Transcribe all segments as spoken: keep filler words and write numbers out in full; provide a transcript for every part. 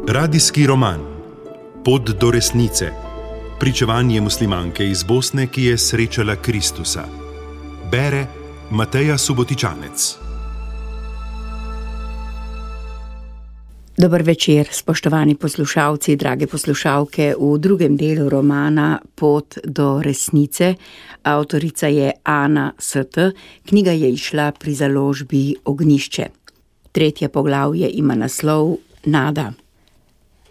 Radijski roman Pot do resnice. Pričevanje muslimanke iz Bosne, ki je srečala Kristusa. Bere Mateja Subotičanec. Dober večer, spoštovani poslušalci, drage poslušalke. V drugem delu romana Pot do resnice. Avtorica je Ana St. Knjiga je izšla pri založbi Ognjišče. Tretje poglavje ima naslov Nada.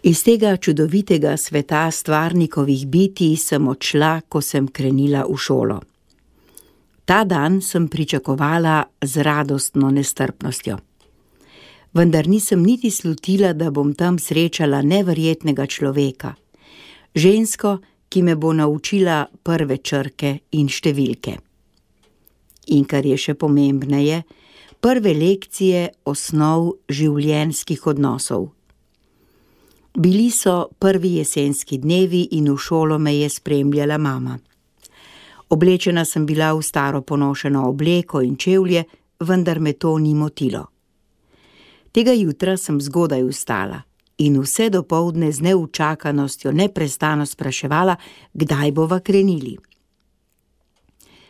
Iz tega čudovitega sveta stvarnikovih bitij sem odšla, ko sem krenila v šolo. Ta dan sem pričakovala z radostno nestrpnostjo. Vendar nisem niti slutila, da bom tam srečala neverjetnega človeka, žensko, ki me bo naučila prve črke in številke. In kar je še pomembneje, prve lekcije osnov življenjskih odnosov. Bili so prvi jesenski dnevi in v šolo me je spremljala mama. Oblečena sem bila v staro ponošeno obleko in čevlje, vendar me to ni motilo. Tega jutra sem zgodaj vstala in vse dopoldne z neučakanostjo neprestano spraševala, kdaj bova krenili.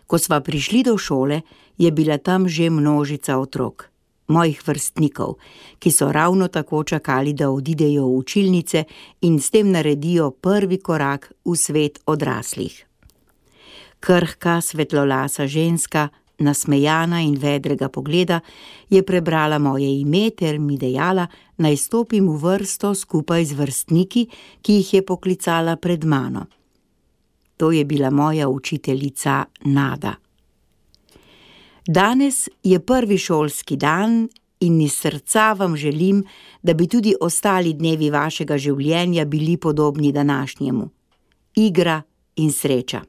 Ko sva prišli do šole, je bila tam že množica otrok, mojih vrstnikov, ki so ravno tako čakali, da odidejo v učilnice in s tem naredijo prvi korak v svet odraslih. Krhka, svetlolasa ženska, nasmejana in vedrega pogleda, je prebrala moje ime ter mi dejala, naj stopim v vrsto skupaj z vrstniki, ki jih je poklicala pred mano. To je bila moja učiteljica Nada. Danes je prvi šolski dan in iz srca vam želim, da bi tudi ostali dnevi vašega življenja bili podobni današnjemu. Igra in sreča.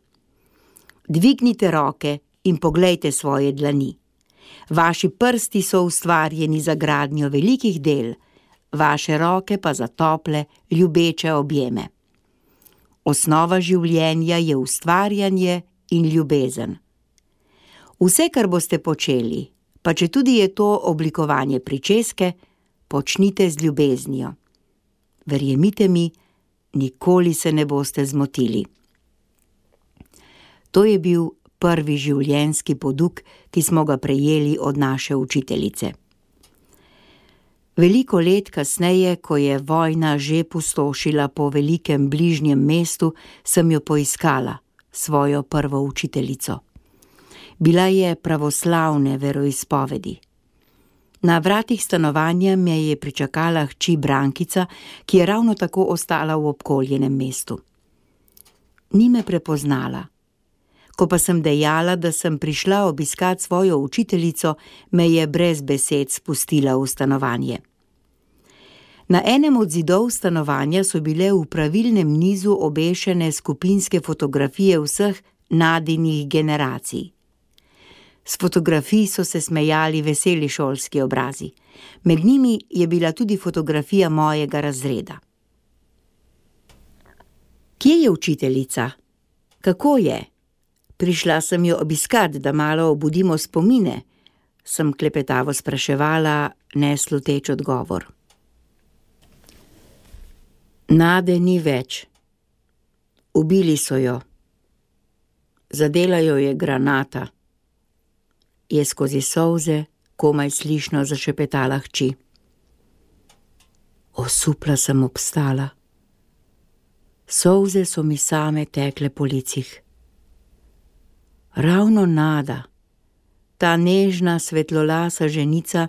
Dvignite roke in poglejte svoje dlani. Vaši prsti so ustvarjeni za gradnjo velikih del, vaše roke pa za tople, ljubeče objeme. Osnova življenja je ustvarjanje in ljubezen. Vse, kar boste počeli, pa četudi je to oblikovanje pričeske, počnite z ljubeznijo. Verjemite mi, nikoli se ne boste zmotili. To je bil prvi življenjski poduk, ki smo ga prejeli od naše učiteljice. Veliko let kasneje, ko je vojna že pustošila po velikem bližnjem mestu, sem jo poiskala, svojo prvo učiteljico. Bila je pravoslavne veroizpovedi. Na vratih stanovanja me je pričakala hči Brankica, ki je ravno tako ostala v obkoljenem mestu. Ni me prepoznala. Ko pa sem dejala, da sem prišla obiskat svojo učiteljico, me je brez besed spustila v stanovanje. Na enem od zidov stanovanja so bile v pravilnem nizu obešene skupinske fotografije vseh Nadinih generacij. S fotografij so se smejali veseli šolski obrazi. Med njimi je bila tudi fotografija mojega razreda. Kje je učiteljica? Kako je? Prišla sem jo obiskat, da malo obudimo spomine, sem klepetavo spraševala, nesluteč odgovor. Nade ni več. Ubili so jo. Zadela jo je granata. Je skozi solze komaj slišno zašepetala hči. Osupla sem obstala. Solze so mi same tekle po licih. Ravno Nada, ta nežna svetlolasa ženica,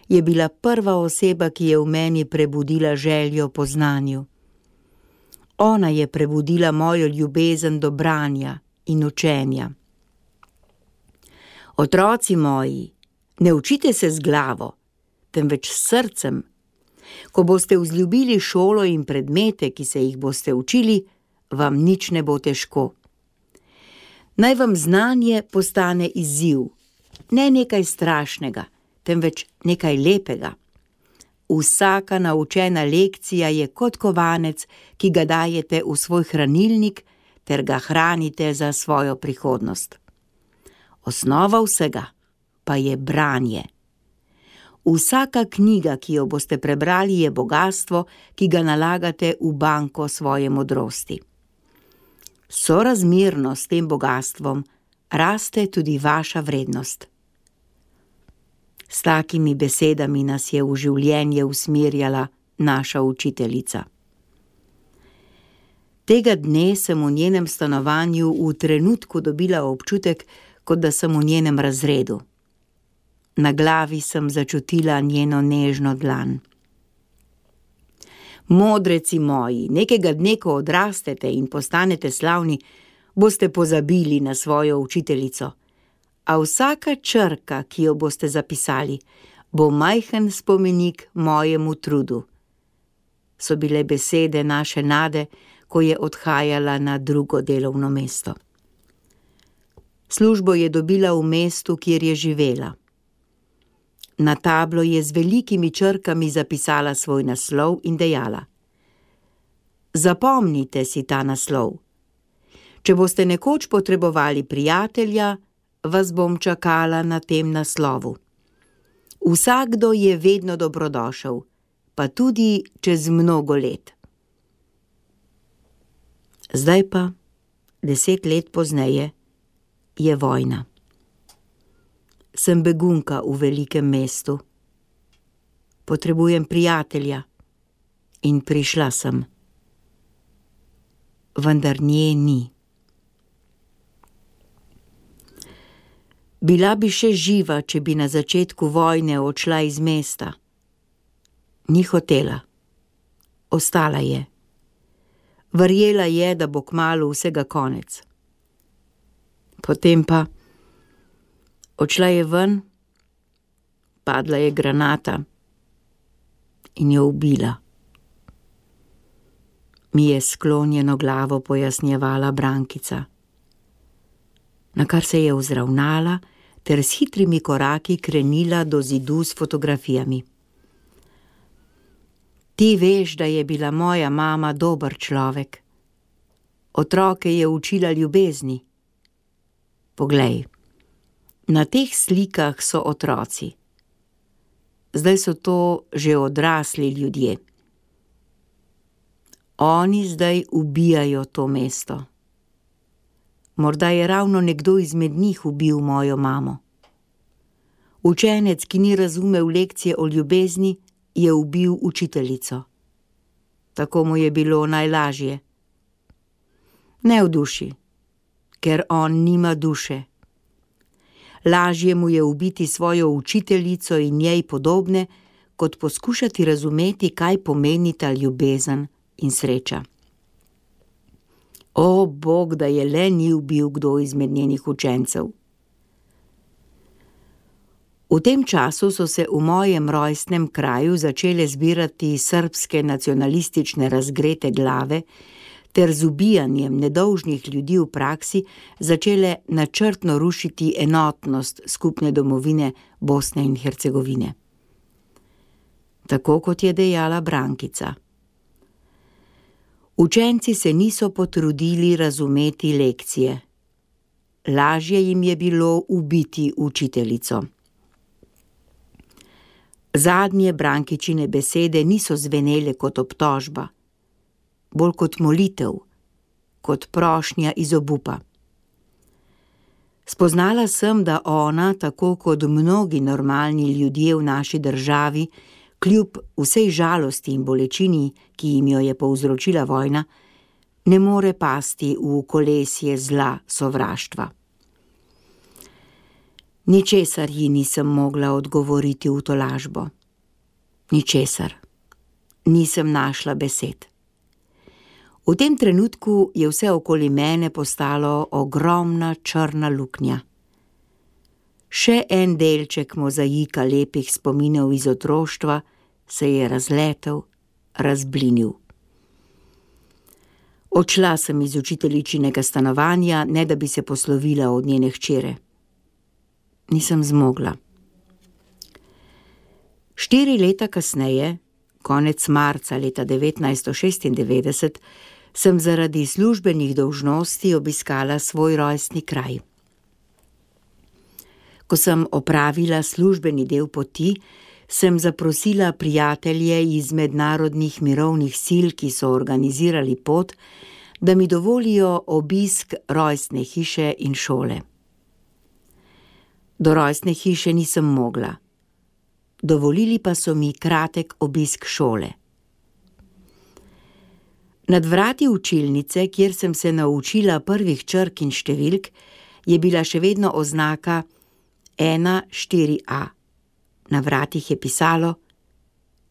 je bila prva oseba, ki je v meni prebudila željo po znanju. Ona je prebudila mojo ljubezen do branja in učenja. Otroci moji, ne učite se z glavo, temveč s srcem. Ko boste vzljubili šolo in predmete, ki se jih boste učili, vam nič ne bo težko. Naj vam znanje postane izziv, ne nekaj strašnega, temveč nekaj lepega. Vsaka naučena lekcija je kot kovanec, ki ga dajete v svoj hranilnik ter ga hranite za svojo prihodnost. Osnova vsega pa je branje. Vsaka knjiga, ki jo boste prebrali, je bogastvo, ki ga nalagate v banko svoje modrosti. Sorazmerno s tem bogastvom raste tudi vaša vrednost. S takimi besedami nas je v življenje usmerjala naša učiteljica. Tega dne sem v njenem stanovanju v trenutku dobila občutek, kot da sem v njenem razredu. Na glavi sem začutila njeno nežno dlan. Modreci moji, nekega dne, ko odrastete in postanete slavni, boste pozabili na svojo učiteljico, a vsaka črka, ki jo boste zapisali, bo majhen spomenik mojemu trudu. So bile besede naše Nade, ko je odhajala na drugo delovno mesto. Službo je dobila v mestu, kjer je živela. Na tablo je z velikimi črkami zapisala svoj naslov in dejala: Zapomnite si ta naslov. Če boste nekoč potrebovali prijatelja, vas bom čakala na tem naslovu. Vsakdo je vedno dobrodošel, pa tudi čez mnogo let. Zdaj pa, deset let pozneje, je vojna. Sem begunka v velikem mestu. Potrebujem prijatelja in prišla sem. Vendar nje ni. Bila bi še živa, če bi na začetku vojne odšla iz mesta. Ni hotela. Ostala je. Verjela je, da bo kmalu vsega konec. Potem pa odšla je ven, padla je granata in jo ubila. Mi je sklonjeno glavo pojasnjevala Brankica, na kar se je vzravnala ter s hitrimi koraki krenila do zidu s fotografijami. Ti veš, da je bila moja mama dober človek. Otroke je učila ljubezni. Poglej, na teh slikah so otroci. Zdaj so to že odrasli ljudje. Oni zdaj ubijajo to mesto. Morda je ravno nekdo izmed njih ubil mojo mamo. Učenec, ki ni razumel lekcije o ljubezni, je ubil učiteljico. Tako mu je bilo najlažje. Ne v duši, ker on nima duše. Lažje mu je ubiti svojo učiteljico in njej podobne, kot poskušati razumeti, kaj pomenita ljubezen in sreča. O, Bog, da je le ni ubil kdo izmed njenih učencev. V tem času so se v mojem rojstnem kraju začele zbirati srbske nacionalistične razgrete glave ter z ubijanjem nedolžnih ljudi v praksi začele načrtno rušiti enotnost skupne domovine Bosne in Hercegovine. Tako kot je dejala Brankica. Učenci se niso potrudili razumeti lekcije. Lažje jim je bilo ubiti učiteljico. Zadnje Brankičine besede niso zvenele kot obtožba, bolj kot molitev, kot prošnja iz obupa. Spoznala sem, da ona, tako kot mnogi normalni ljudje v naši državi, kljub vsej žalosti in bolečini, ki jim jo je povzročila vojna, ne more pasti v kolesje zla sovraštva. Ničesar ji nisem mogla odgovoriti v tolažbo. Ničesar. Nisem našla besed. V tem trenutku je vse okoli mene postalo ogromna črna luknja. Še en delček mozaika lepih spominov iz otroštva se je razletel, razblinil. Odšla sem iz učiteljičinega stanovanja, ne da bi se poslovila od njene hčere. Nisem zmogla. Štiri leta kasneje, konec marca leta devetnajststo šestindevetdeset, sem zaradi službenih dolžnosti obiskala svoj rojstni kraj. Ko sem opravila službeni del poti, sem zaprosila prijatelje iz mednarodnih mirovnih sil, ki so organizirali pot, da mi dovolijo obisk rojstne hiše in šole. Do rojstne hiše nisem mogla. Dovolili pa so mi kratek obisk šole. Nad vrati učilnice, kjer sem se naučila prvih črk in številk, je bila še vedno oznaka ena štiri a. Na vratih je pisalo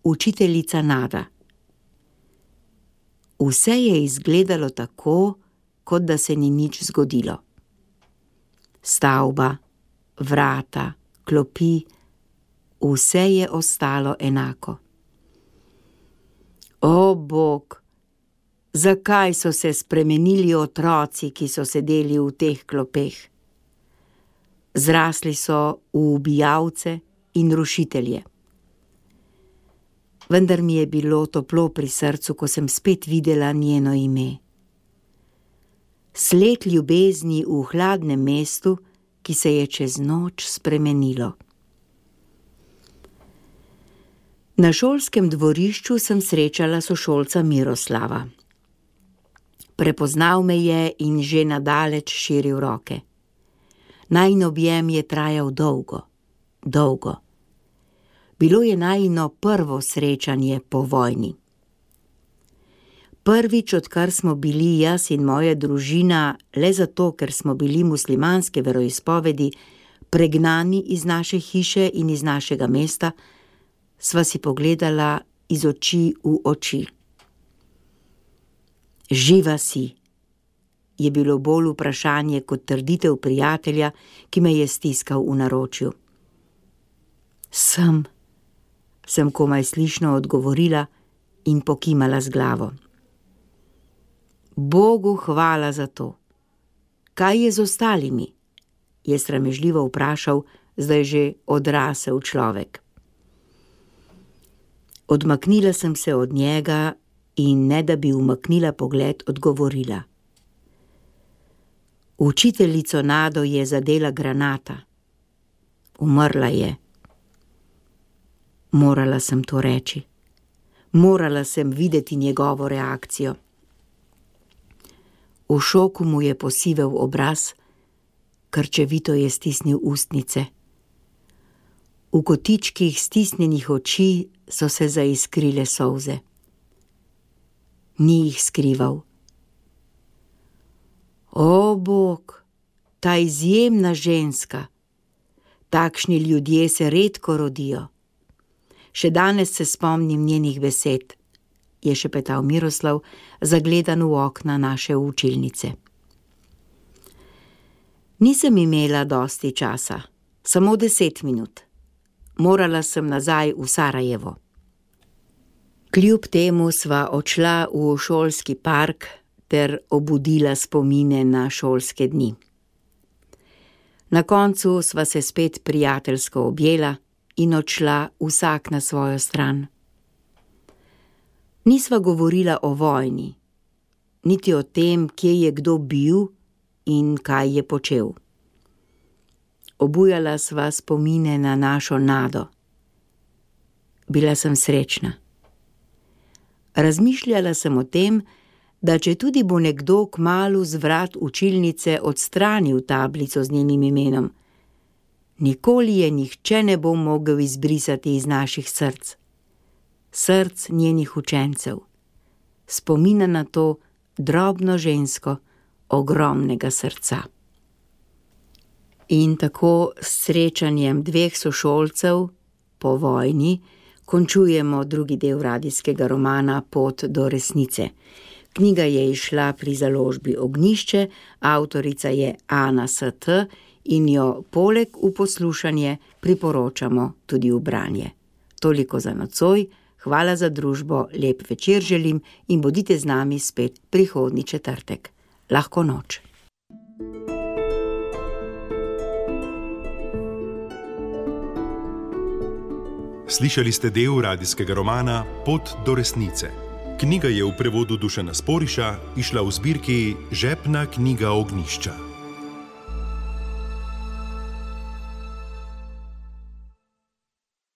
Učiteljica Nada. Vse je izgledalo tako, kot da se ni nič zgodilo. Stavba, vrata, klopi, vse je ostalo enako. O, Bog, zakaj so se spremenili otroci, ki so sedeli v teh klopeh? Zrasli so v ubijalce in rušitelje. Vendar mi je bilo toplo pri srcu, ko sem spet videla njeno ime. Sled ljubezni v hladnem mestu, ki se je čez noč spremenilo. Na šolskem dvorišču sem srečala sošolca Miroslava. Prepoznal me je in že nadaleč širil roke. Najin objem je trajal dolgo, dolgo. Bilo je najino prvo srečanje po vojni. Prvič, odkar smo bili jaz in moja družina, le zato, ker smo bili muslimanske veroizpovedi, pregnani iz naše hiše in iz našega mesta, sva si pogledala iz oči v oči. Živa si, je bilo bolj vprašanje kot trditev prijatelja, ki me je stiskal v naročju. Sem, sem komaj slišno odgovorila in pokimala z glavo. Bogu hvala za to. Kaj je z ostalimi? Je sramežljivo vprašal zdaj že odrasel človek. Odmaknila sem se od njega in ne da bi umaknila pogled, odgovorila. Učiteljico Nado je zadela granata. Umrla je. Morala sem to reči. Morala sem videti njegovo reakcijo. V šoku mu je posivel obraz, krčevito je stisnil ustnice. V kotičkih stisnjenih oči so se zaiskrile solze. Ni jih skrival. O, Bog, ta izjemna ženska. Takšni ljudje se redko rodijo. Še danes se spomnim njenih besed, je šepetal Miroslav, zagledan v okna naše učilnice. Nisem imela dosti časa, samo deset minut. Morala sem nazaj v Sarajevo. Kljub temu sva odšla v šolski park ter obudila spomine na šolske dni. Na koncu sva se spet prijateljsko objela in odšla vsak na svojo stran. Nisva govorila o vojni, niti o tem, kje je kdo bil in kaj je počel. Obujala sva spomine na našo Nado. Bila sem srečna. Razmišljala sem o tem, da če tudi bo nekdo kmalu z vrat učilnice odstranil tablico z njenim imenom, nikoli je nihče ne bo mogel izbrisati iz naših src. Src njenih učencev. Spomina na to drobno žensko ogromnega srca. In tako s srečanjem dveh sošolcev po vojni končujemo drugi del radijskega romana Pot do resnice. Knjiga je izšla pri založbi Ognjišče, avtorica je Ana S T in jo poleg v poslušanje priporočamo tudi v branje. Toliko za nocoj, hvala za družbo, lep večer želim in bodite z nami spet prihodnji četrtek. Lahko noč. Slišali ste del radijskega romana Pot do resnice. Knjiga je v prevodu Dušana Sporiša izšla v zbirki Žepna knjiga Ognjišča.